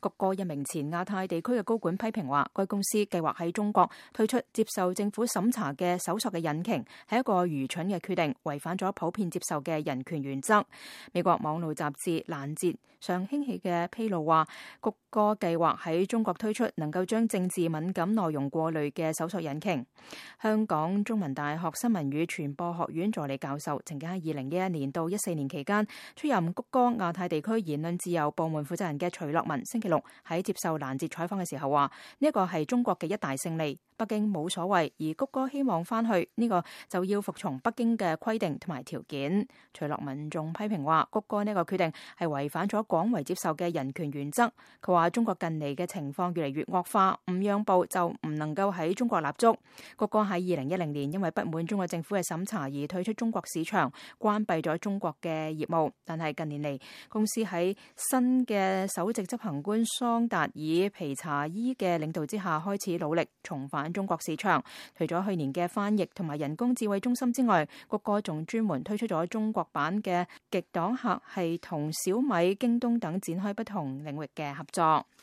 谷歌一名前亞太地區嘅高管批評話，該公司計劃喺中國推出接受政府審查嘅搜索嘅引擎，係一個愚蠢嘅決定，違反咗普遍接受嘅人權原則。美國網絡雜誌攔截上興起嘅披露話，谷歌計劃喺中國推出能夠將政治敏感內容過濾嘅搜索引擎。香港中文大學新聞與傳播學院助理教授，曾經喺2011年到14年期間出任谷歌亞太地區言論自由部門負責人嘅徐樂文，星期六喺接受攔截採訪嘅時候話，呢一個係中國嘅一大勝利，北京冇所謂，而谷歌希望翻去呢個就要服從北京嘅規定同埋條件。徐樂文仲批評話，谷歌呢個決定係違反咗廣為接受嘅人權原則。佢話中國近嚟嘅情況越嚟越惡化，唔讓步就唔能夠喺中國立足。谷歌喺2010年因為不滿中國政府嘅審查而退出中國市場，關閉咗中國嘅業務。但係近年嚟，公司喺新嘅首席執行官桑達爾皮查伊嘅領導之下，開始努力重返中國市場。除咗去年嘅翻譯同埋人工智慧中心之外，谷歌仲專門推出咗中國版嘅極黨客，係同小米、京東等展開不同領域嘅合作。